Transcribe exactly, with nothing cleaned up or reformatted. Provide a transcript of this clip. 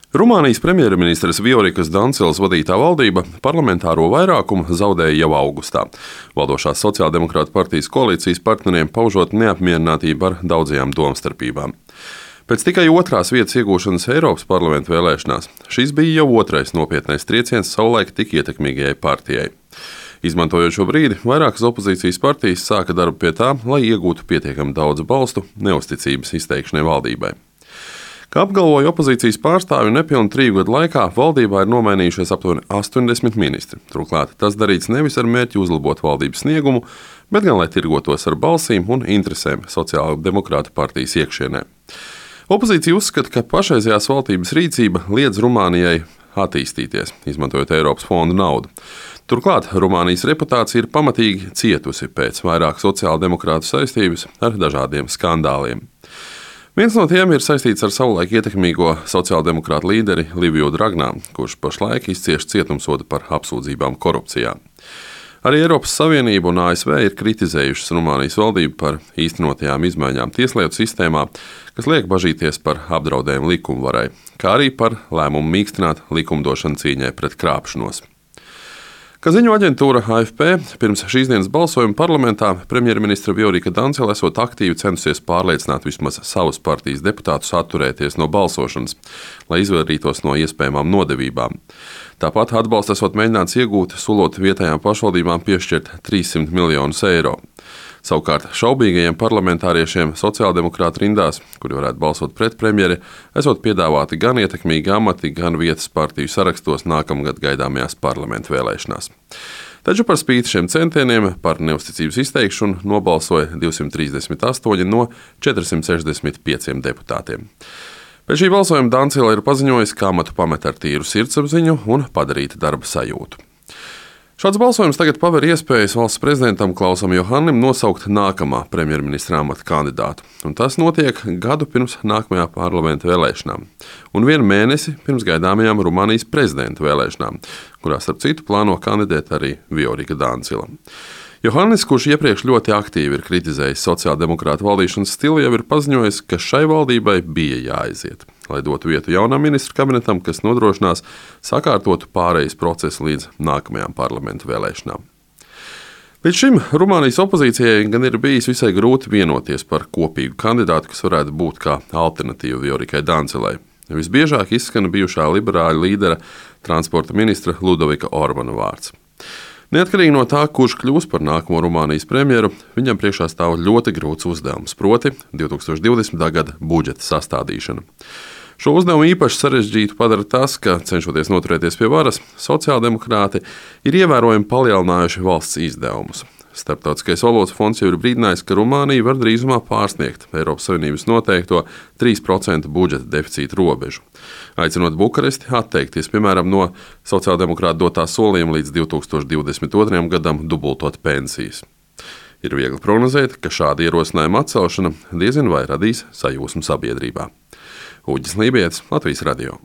Rumānijas premjerministres Viorikas Dancilas vadītā valdība parlamentāro vairākumu zaudēja jau augustā. Valdošās sociāldemokrātu partijas koalīcijas partneriem paužot neapmierinātību ar daudzajām domstarpībām. Pēc tikai otrās vietas iegūšanas Eiropas parlamenta vēlēšanās šis bija jau otrais nopietnais trieciens savulaik tik ietekmīgajai partijai. Izmantojot šo brīdi, vairākas opozīcijas partijas sāka darbu pie tā, lai iegūtu pietiekami daudz balstu neusticības izteikšanai valdībai. Kā apgalvoja opozīcijas pārstāvji, nepilnu triju gadu laikā valdībā ir nomainījušies aptuveni astoņdesmit ministri. Turklāt tas darīts nevis ar mērķi uzlabot valdības sniegumu, bet gan lai tirgotos ar balsīm un interesēm sociāldemokrātu partijas iekšienē. Opozīcija uzskata, ka pašreizējās valdības rīcība liedz Rumānijai attīstīties, izmantojot Eiropas fondu naudu. Turklāt Rumānijas reputācija ir pamatīgi cietusi pēc vairāk sociāldemokrātu saistības ar dažādiem skandāliem. Viens no tiem ir saistīts ar savulaik ietekmīgo sociāldemokrātu līderi Liviju Dragnā, kurš pašlaik izcieš cietumsodu par apsūdzībām korupcijā. Arī Eiropas Savienība un A S V ir kritizējušas Rumānijas valdību par īstenotajām izmaiņām tieslietu sistēmā, kas liek bažīties par apdraudējumu likumvarai, kā arī par lēmumu mīkstināt likumdošanu cīņai pret krāpšanos. Kā ziņo aģentūra A F P, pirms šīs dienas balsojuma parlamentā premjerministra Viorika Dancila esot aktīvi centusies pārliecināt vismaz savas partijas deputātus atturēties no balsošanas, lai izvairītos no iespējamām nodevībām. Tāpat atbalstu esot mēģināts iegūt, solot vietējām pašvaldībām piešķirt trīssimt miljonus eiro. Savukārt šaubīgajiem parlamentāriešiem sociāldemokrātu rindās, kuri varētu balsot pret premjeri, esot piedāvāti gan ietekmīgi amati, gan vietas partiju sarakstos nākamgad gaidāmajās parlamentu vēlēšanās. Taču par spīti šiem centieniem par neusticības izteikšanu nobalsoja divsimt trīsdesmit astoņi no četrsimt sešdesmit pieciem deputātiem. Pēc šī balsojuma Dancila ir paziņojis, ka amatu pamet ar tīru sirdsapziņu un padarīta darba sajūtu. Šāds balsojums tagad paver iespējas valsts prezidentam Klausam Johannim nosaukt nākamā premjerministra amata kandidātu, un tas notiek gadu pirms nākamajā parlamenta vēlēšanām, un vienu mēnesi pirms gaidāmajām Rumānijas prezidenta vēlēšanām, kurās starp citu plāno kandidēt arī Viorika Dancila. Johannis, kurš iepriekš ļoti aktīvi ir kritizējis sociāldemokrātu valdīšanas stilu, jau ir paziņojis, ka šai valdībai bija jāaiziet, lai dotu vietu jaunam ministru kabinetam, kas nodrošinās sakārtotu pārejas procesu līdz nākamajām parlamentu vēlēšanām. Līdz šim Rumānijas opozīcijai gan ir bijis visai grūti vienoties par kopīgu kandidātu, kas varētu būt kā alternatīva Viorikai Dancilai. Visbiežāk izskan bijušā liberāļu līdera transporta ministra Ludovika Orbana vārds. Neatkarīgi no tā, kurš kļūs par nākamo Rumānijas premjeru, viņam priekšā stāv ļoti grūts uzdevums, proti divi tūkstoši divdesmitā gada budžeta sastādīšana. Šo uzdevumu īpaši sarežģītu padara tas, ka, cenšoties noturēties pie varas, sociāldemokrāti ir ievērojami palielinājuši valsts izdevumus. Starptautiskais valūtas fonds jau ir brīdinājis, ka Rumānija var drīzumā pārsniegt Eiropas Savienības noteikto trīs procentu budžeta deficīta robežu, aicinot Bukaresti atteikties, piemēram, no sociāldemokrātu dotā solījuma līdz divi tūkstoši divdesmit otrajam gadam dubultot pensijas. Ir viegli prognozēt, ka šāda ierosinājuma atcelšana diezin vai radīs sajūsmu sabiedrībā. Uģis Lībijets, Latvijas radio.